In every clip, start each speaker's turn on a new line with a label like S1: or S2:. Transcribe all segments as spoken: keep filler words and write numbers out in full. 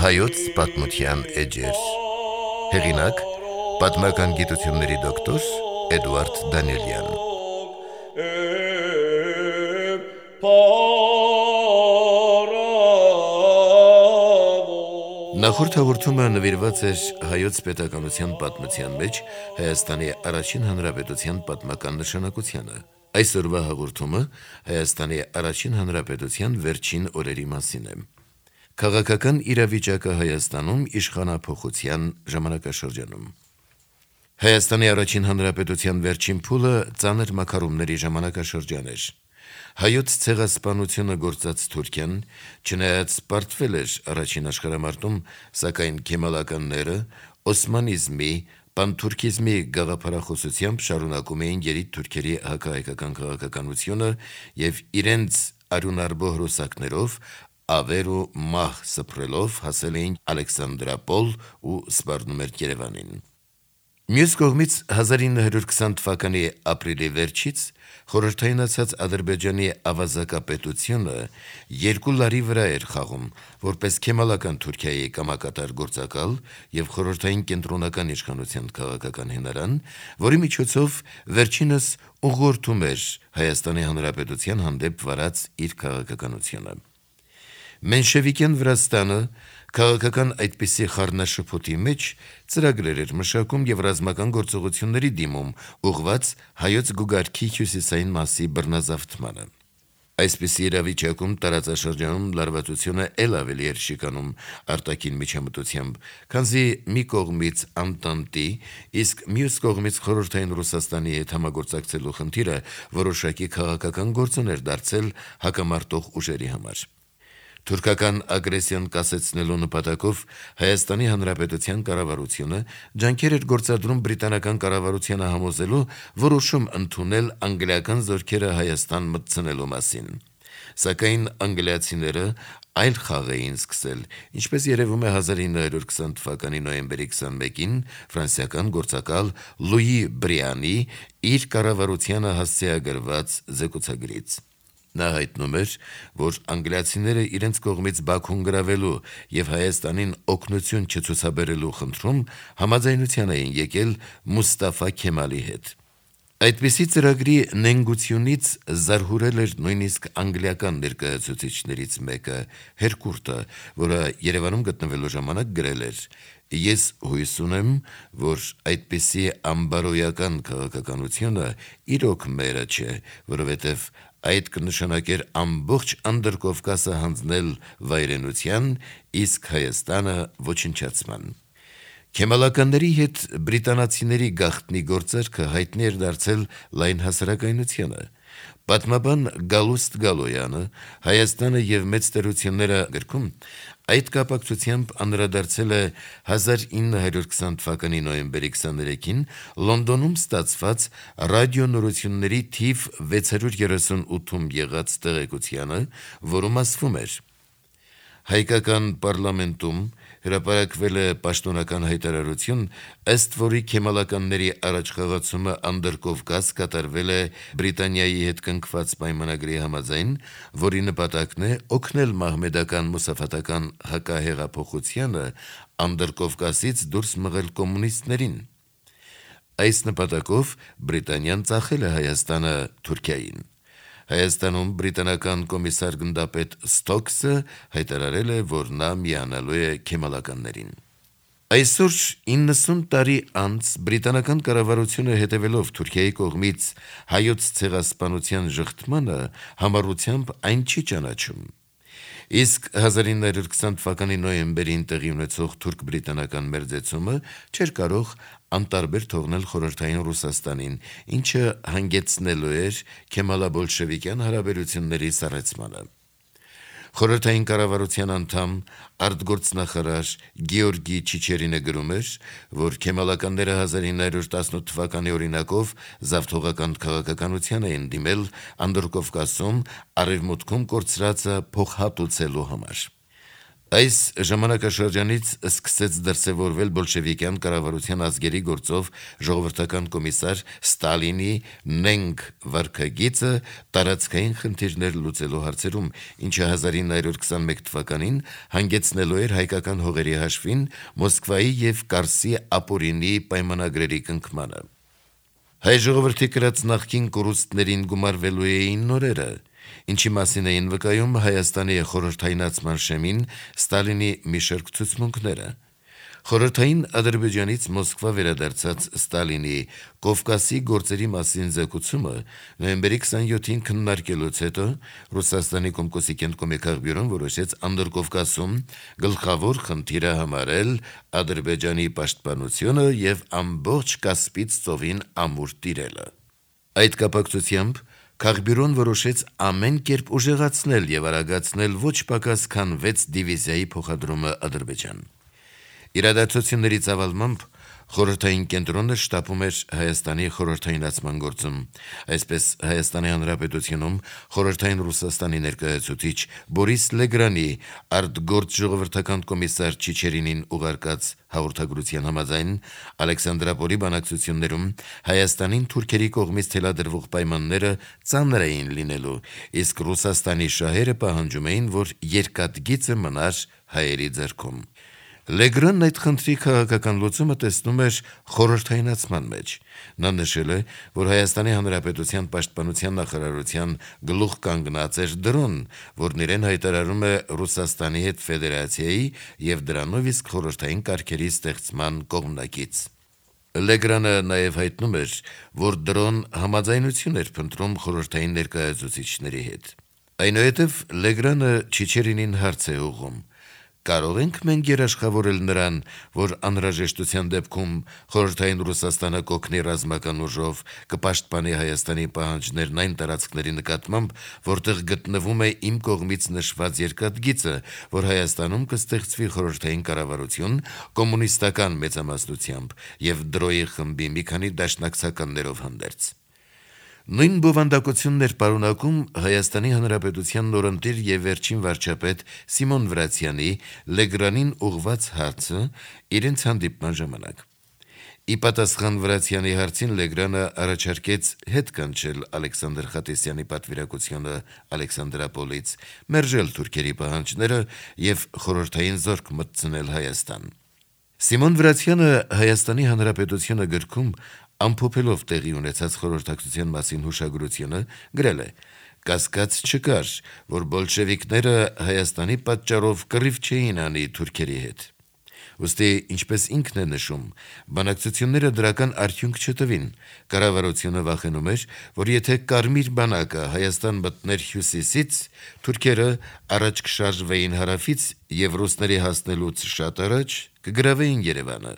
S1: Հայոց պատմության էջեր։ Հեղինակ՝ պատմական գիտությունների դոկտոր Էդուարդ Դանիելյան։ Նախորդ հաղորդումը նվիրված էր հայոց պետականության պատմության մեջ Հայաստանի առաջին հանրապետության պատմական նշանակությանը։ Այսօրվա հաղորդումը Հայաստանի առաջին հանրապետության վերջին օրերի մասին է։ Քաղաքական իրավիճակը Հայաստանում իշխանափոխության ժամանակաշրջանում։ Հայաստանի առաջին հանրապետության վերջին փուլը ծանր մաքարումների ժամանակաշրջան էր։ Հայոց ցեղասպանությունը գործած Թուրքիան, չնայած պարտվել էր առաջին աշխարհամարտում, սակայն քեմալականները օսմանիզմի, պանթուրքիզմի գաղափարախոսությամբ շարունակում էին երիտ թուրքերի հակահայկական քաղաքականությունը և իրենց արյունարբող ռուսակներով ավեր ու մահ սփռելով հասել էին Ալեքսանդրապոլ ու սպառնում էր Երևանին։ Մյուս կողմից հազար ինը հարյուր քսան թվականի ապրիլի վերջից խորհրդայնացած Ադրբեջանի ավազակապետությունը երկու լարի վրա էր խաղում, որպես քեմալական Թուրքիայի կամակատար գործակալ և խորհրդային կենտրոնական իշխանության քաղաքական հենարան, որի միջոցով վերջինս ուղղորդում էր Հայաստանի Հանրապետության հանդեպ վարած իր քաղաքականությունը։ Մենշևիկյան Վրաստանը քաղաքական այդպիսի խառնաշփոթի մեջ ծրագրեր էր մշակում և ռազմական գործողությունների դիմում, ուղղված հայոց գուգարքի հյուսիսային մասի բռնազավթմանը։ Այսպիսի իրավիճակում տարածաշրջանում լարվածությունը էլ ավելի էր շիկանում արտաքին միջամտությամբ, քանզի մի կողմից Անտանտի, իսկ մյուս կողմից խորհրդային Ռուսաստանի հետ համագործակցելու խնդիրը որոշակի քաղաքական գործոն էր դարձել հակամարտող ուժերի համար։ Թուրքական ագրեսիան կասեցնելու նպատակով Հայաստանի Հանրապետության կառավարությունը ջանքեր էր գործադրում բրիտանական կառավարությանը համոզելու որոշում ընդունել անգլիական զորքերը Հայաստան մտցնելու մասին։ Սակայն անգլիացիները այլ խաղ էին սկսել, ինչպես երևում է հազար ինը հարյուր քսան թվականի նոյեմբերի քսանմեկին ֆրանսիական գործակալ Լուի Բրիանի իր կառավարությանը հասցեագրված զեկուցագրից։ Նա հայտնում էր, որ անգլիացիները իրենց կողմից Բաքուն գրավելու և Հայաստանին օգնություն չցուցաբերելու խնդրում համաձայնության էին եկել Մուստաֆա Քեմալի հետ։ Այդպիսի ծրագրի նենգությունից զարհուրել էր նույնիսկ անգլիական ներկայացուցիչներից մեկը՝ Հերկուրտը, որը Երևանում գտնվելու ժամանակ գրել էր. «Ես հույս ունեմ, որ այդպիսի ամբարոյական քաղաքականությունը իրոք մերը չէ, որովհետև այդ կնշանակեր ամբողջ Անդրկովկասը հանձնել վայրենության, իսկ Հայաստանը ոչնչացման»։ Քեմալականների հետ բրիտանացիների գաղտնի գործարքը հայտնի էր դարձել լայն հասարակայնությանը։ Պատմաբան Գալուստ Գալոյանը «Հայաստանը և մեծ տերությունները» գրքում այդ կապակցությամբ անդրադարձել է հազար ինը հարյուր քսան թվականի նոյեմբերի քսաներեքին Լոնդոնում ստացված ռադիոնորությունների թիվ վեց հարյուր երեսունութում եղած տեղեկությանը, որում ասվում էր. «Հայկական պարլամենտում հրապարակվել է պաշտոնական հայտարարություն, ըստ որի քեմալականների առաջխաղացումը Անդրկովկաս կատարվել է Բրիտանիայի հետ կնքված պայմանագրի համաձայն, որի նպատակն է օգնել մահմեդական մուսաֆաթական հակահեղափոխությանը Անդրկովկասից դուրս մղել կոմունիստներին։ Այս նպատակով Բրիտանիան ծախել է Հայաստանը Թուրքիային»։ Հայաստանում բրիտանական կոմիսար գնդապետ Ստոքսը հայտարարել է, որ նա միանալու է քեմալականներին։ Այսօր իննսուն տարի անց բրիտանական կառավարությունը հետևելով Թուրքիայի կողմից հայոց ցեղասպանության ժխտմանը համառությամբ այն չի ճանաչում։ Իսկ հազար ինը հարյուր քսան թվականի նոյեմբերին տեղի ունեցող թուրք-բրիտանական մերձեցումը չէր կարող անտարբեր թողնել խորհրդային Ռուսաստանին, ինչը հանգեցնելու էր քեմալա-բոլշևիկյան հարաբերությունների սառեցմանը։ Խորհրդային կառավարության անդամ, արտգործնախարար Գեորգի Չիչերինը գրում էր, որ քեմալականները հազար ինը հարյուր տասնութ թվականի օրինակով զավթողական քաղաքականության էին դիմել Անդրկովկասում արևմուտքում կորցրածը փոխհատուցելու համար։ Այս ժամանակաշրջանից սկսեց դրսևորվել բոլշևիկյան կառավարության ազգերի գործով ժողովրդական կոմիսար Ստալինի նենք վարքագիծը տարածքային խնդիրներ լուծելու հարցերում, ինչը հազար ինը հարյուր քսանմեկ թվականին հանգեցնելու էր հայկական հողերի հաշվին Մոսկվայի եւ Կարսի ապօրինի պայմանագրերի կնքմանը։ Հայ ժողովրդի կրած նախկին կորուստներին գումարվելու էին նորերը, ինչի մասին էին վկայում Հայաստանի խորհրդայնացման շեմին Ստալինի մի շարք ցուցմունքները։ Խորհրդային Ադրբեջանից Մոսկվա վերադարձած Ստալինի Կովկասի գործերի մասին զեկուցումը նոյեմբերի քսանյոթին քննարկելուց հետո Ռուսաստանի Կոմկոսի կենտրոնի քաղբյուրոն որոշեց Անդրկովկասում գլխավոր խնդիրը համարել Ադրբեջանի պաշտպանությունը եւ ամբողջ Կասպից ծովին ամուր տիրելը։ Այդ կապակցությամբ Քաղբյուրոն որոշեց ամեն կերպ ուժեղացնել եւ արագացնել ոչ պակաս քան վեց դիվիզիայի փոխադրումը Ադրբեջան։ Իրադարձությունների ծավալմամբ խորհրդային կենտրոնը շտապում էր Հայաստանի խորհրդայնացման գործում։ Այսպես Հայաստանի Հանրապետությունում խորհրդային Ռուսաստանի ներկայացուցիչ Բորիս Լեգրանի արտգործ ժողովրդական կոմիսար Չիչերինին ուղարկած հաղորդագրության համաձայն Ալեքսանդրապոլի բանակցություններում Հայաստանին թուրքերի կողմից թելադրվող պայմանները ծանր էին լինելու, իսկ Ռուսաստանի շահերը պահանջում էին, որ երկաթգիծը մնար հայերի ձեռքում։ Լեգրանն այդ խնդրի քաղաքական լուծումը տեսնում էր խորհրդայնացման մեջ։ Նա նշել է, որ Հայաստանի Հանրապետության պաշտպանության նախարարության գլուխ կանգնած էր դրոն, որն իրեն հայտարարում է Ռուսաստանի հետ ֆեդերացիայի եւ դրանով իսկ խորհրդային կարգերի ստեղծման կողմնակից։ Լեգրանը նաև հայտնում էր, որ դրոն համաձայնություն էր փնտրում խորհրդային ներկայացուցիչների հետ։ Այնուհետև Լեգրանը Չիչերինին հարց է ուղղում. Կարող ենք մենք երաշխավորել նրան, որ անհրաժեշտության դեպքում խորհրդային Ռուսաստանը կօգնի ռազմական ուժով, կպաշտպանի Հայաստանի պահանջներն այն տարածքների նկատմամբ, որտեղ գտնվում է իմ կողմից նշված երկաթգիծը, որ Հայաստանում կստեղծվի խորհրդային կառավարություն կոմունիստական մեծամասնությամբ եւ դրոյի խմբի մի քանի դաշնակցականներով հանդերձ։ Նույն բովանդակությունն էր պարունակում Հայաստանի Հանրապետության նորընտիր եւ վերջին վարչապետ Սիմոն Վրացյանի Լեգրանին ուղված հարցը իրենց հանդիպման ժամանակ։ Ի պատասխան Վրացյանի հարցին Լեգրանը առաջարկեց հետ կանչել Ալեքսանդր Խատեսյանի պատվիրակությունը Ալեքսանդրապոլից, մերժել թուրքերի պահանջները եւ խորհրդային զորք մտցնել Հայաստան։ Սիմոն Վրացյանը Հայաստանի Հանրապետությունը գրքում ամփոփելով տեղի ունեցած խորհրդակցության մասին հուշագրությունը գրել է. «Կասկած չկար, որ բոլշևիկները Հայաստանի պատճառով կռիվ չէին անի թուրքերի հետ»։ Ուստի, ինչպես ինքն է նշում, բանակցությունները դրական արդյունք չտվին։ Կառավարությունը վախենում էր, որ եթե Կարմիր բանակը Հայաստան մտներ հյուսիսից, թուրքերը առաջ կշարժվեին հարավից եւ ռուսների հասնելուց շատ առաջ կգրավեին Երևանը։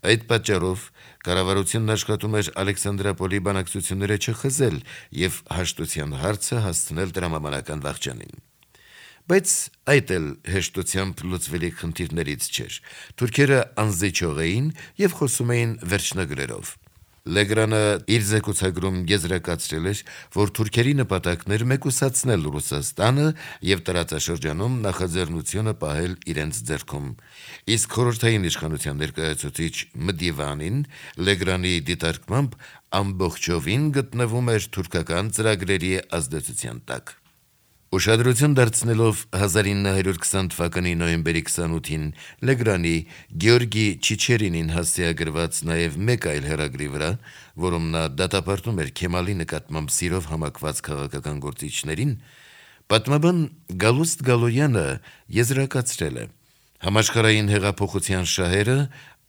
S1: Այդ պատճառով կառավարությունն աշխատում էր Ալեքսանդրապոլի բանակցությունները չխզել եւ հաշտության հարցը հասցնել տրամաբանական վախճանին։ Բայց այդ էլ հեշտությամբ լուծվելի խնդիրներից չէր։ Թուրքերը անզիջող էին եւ խոսում էին վերջնագրերով։ Լեգրանը իր զեկուցագրում եզրակացրել էր, որ թուրքերի նպատակն էր մեկուսացնել Ռուսաստանը եւ տարածաշրջանում նախաձեռնությունը պահել իրենց ձեռքում։ Իսկ խորհրդային իշխանության ներկայացուցիչ Մդիվանին Լեգրանի դիտարկմամբ ամբողջովին գտնվում էր թուրքական ծրագրերի ազդեցության տակ։ Ուշադրություն դարձնելով հազար ինը հարյուր քսան թվականի նոյեմբերի քսանութին Լեգրանի Գեորգի Չիչերինին հասցեագրված նաև մեկ այլ հեռագրի վրա, որում նա դատապարտում էր Քեմալի նկատմամբ սիրով համակված քաղաքական գործիչներին, պատմաբան Գալուստ Գալոյանը եզրակացրել է. «Համաշխարհային հեղափոխության շահերը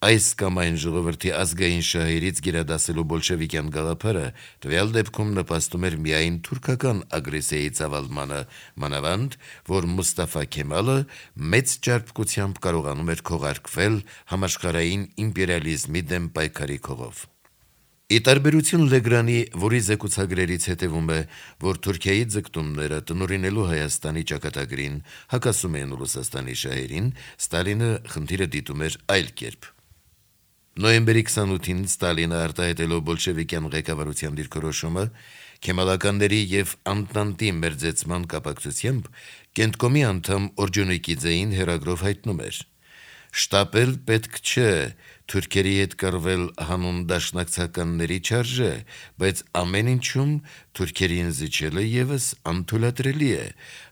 S1: այս կամ այն ժողովրդի ազգային շահերից գերադասելու բոլշևիկյան գաղափարը տվյալ դեպքում նպաստում էր միայն թուրքական ագրեսիայի ծավալմանը, մանավանդ, որ Մուստաֆա Քեմալը մեծ ճարպկությամբ կարողանում էր քողարկվել համաշխարհային իմպերիալիզմի դեմ պայքարի քողով»։ Ի տարբերություն Լեգրանի, որի զեկուցագրերից հետևում է, որ Թուրքիայի ձգտումները տնօրինելու Հայաստանի ճակատագրին հակասում են Ռուսաստանի շահերին, Ստալինը խնդիրը դիտում էր այլ կերպ։ Նոյեմբերի քսանութին Ստալինը արտահայտելով բոլշևիկյան ղեկավարության դիրքորոշումը Քեմալականների եւ Անտանտի մերձեցման կապակցությամբ Կենտկոմի անդամ Օրջոնիկիձեին հերագրով հայտնում էր. «Շտապել պետք չէ, թուրքերի հետ կռվել հանուն դաշնակցականների չարժե, բայց ամեն ինչում թուրքերին զիջելը ևս անթույլատրելի է,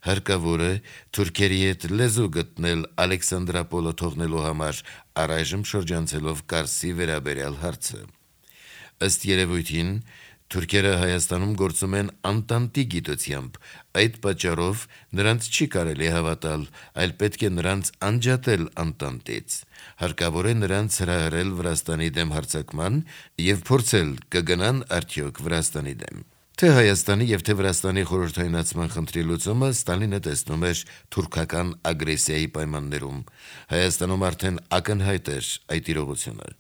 S1: հարկավոր է թուրքերի հետ լեզու գտնել Ալեքսանդրապոլը թողնելու համար, առայժմ շրջանցելով Կարսի վերաբերյալ հարցը»։ Ըստ երևույթին թուրքերը Հայաստանում գործում են Անտանտի գիտությամբ, այդ պատճառով նրանց չի կարելի հավատալ, այլ պետք է նրանց անջատել Անտանտից, հարկավոր է նրանց հրահրել Վրաստանի դեմ հարձակման եւ փորձել կգնան արդյոք Վրաստանի դեմ։ Թե Հայաստանի եւ թե Վրաստանի խորհրդայնացման խնդրի լուծումը Ստալինը տեսնում էր թուրքական ագրեսիայի պայմաններում, Հայաստանում արդեն ակնհայտ էր այդ իրողությունը։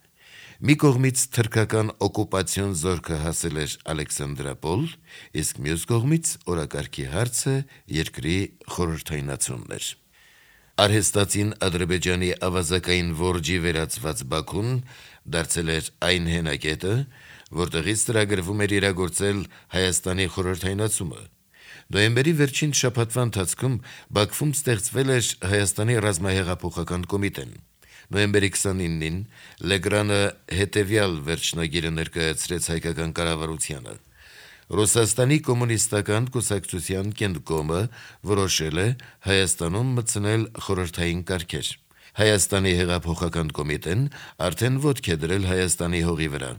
S1: Մի կողմից թրքական օկուպացիոն զորքը հասել էր Ալեքսանդրապոլ, իսկ մյուս կողմից օրակարգի հարցը երկրի խորհրդայնացումն էր։ Արհեստացին Ադրբեջանի ավազակային որջի վերածված Բաքուն դարձել էր այն հենակետը, որտեղից ծրագրվում էր իրագործել Հայաստանի խորհրդայնացումը։ Նոյեմբերի վերջին շաբաթվա ընթացքում Բաքվում ստեղծվել էր Հայաստանի ռազմահեղափոխական կոմիտեն։ Նոյեմբերի քսանինին Լեգրանը հետևյալ վերջնագիրը ներկայացրեց հայկական կառավարությանը. «Ռուսաստանի կոմունիստական կուսակցության Կենտկոմը որոշել է Հայաստանում մտցնել խորհրդային կարգեր։ Հայաստանի հեղափոխական կոմիտեն արդեն ոտք է դրել Հայաստանի հողի վրա։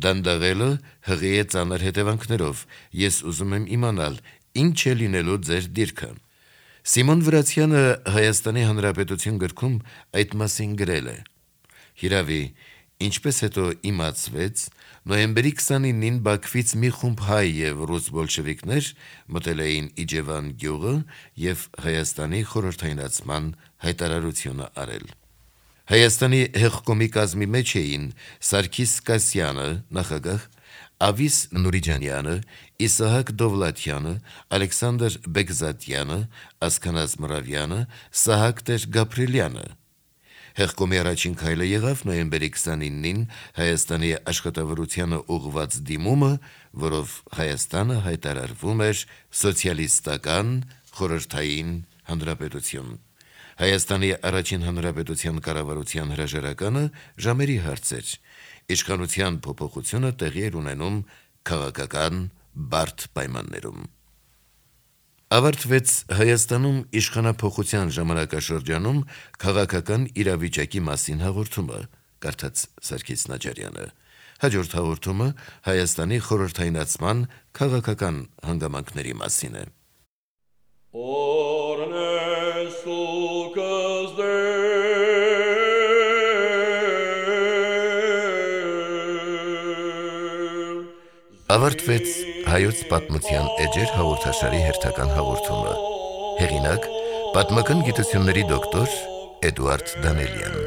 S1: Դանդաղելը հղի է ծանր հետևանքներով։ Ես ուզում եմ իմանալ, ինչ է լինելու ձեր դիրքը»։ Սիմոն Վրացյանը Հայաստանի Հանրապետություն գրքում այդ մասին գրել է. «Հիրավի, ինչպես հետո իմացվեց, նոյեմբերի քսանինին Բաքվից մի խումբ հայ եւ ռուս բոլշևիկներ մտել էին Իջևան գյուղը եւ Հայաստանի խորհրդայնացման հայտարարությունը արել։ Հայաստանի հեղկոմի կազմի մեջ էին Սարգիս Կասյանը, նախագահ, Ավիս Նուրիջանյանը, Իսահակ Դովլաթյանը, Ալեքսանդր Բեգզատյանը, Ասքանազ Մռավյանը, Սահակ Տեր Գաբրիելյանը։ Հեղկոմի առաջին քայլը եղավ նոյեմբերի քսանինին Հայաստանի աշխատավորությանը ուղղված դիմումը, որով Հայաստանը հայտարարվում էր սոցիալիստական խորհրդային հանրապետություն։ Հայաստանի առաջին հանրապետության կառավարության հրաժարականը ժամերի հարց էր։ Իշխանության փոփոխությունը տեղի էր ունենում քաղաքական բարդ պայմաններում։ Ավարտվեց Հայաստանում իշխանափոխության ժամանակաշրջանում քաղաքական իրավիճակի մասին հաղորդումը, կարդաց Սարգիս Նաջարյանը։ Հաջորդ հաղորդումը Հայաստանի խորհրդայնացման քաղաքական հանգամանքների մասին է։ Ավարտվեց Հայոց պատմության էջեր հաղորդաշարի հերթական հաղորդումը։ Հեղինակ՝ պատմական գիտությունների դոկտոր Էդուարդ Դանելյան։